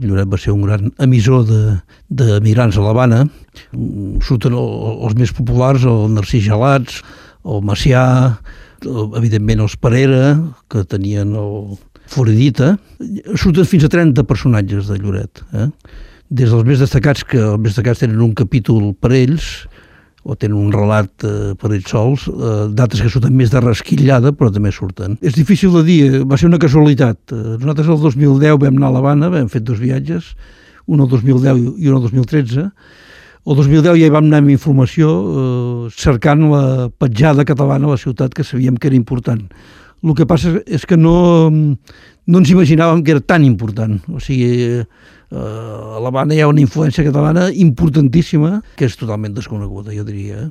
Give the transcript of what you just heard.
Lloret va ser un gran emissor d'emigrants a l'Havana. Surten els més populars, el Narcís Gelats, el Macià, evidentment els Parera, que tenien el Floridita. Surten fins a 30 personatges de Lloret. Des dels més destacats, que els més destacats tenen un capítol per ells, o tenen un relat per ells sols, d'altres que surten més de rasquillada, però també surten. És difícil de dir, va ser una casualitat. Nosaltres el 2010 vam anar a l'Havana, vam fet 2 viatges, un el 2010 i un el 2013. El 2010 ja hi vam anar amb informació, cercant la petjada catalana a la ciutat, que sabíem que era important. El que passa és que no ens imaginàvem que era tan important. O sigui, a l'Havana hi ha una influència catalana importantíssima que és totalment desconeguda, jo diria.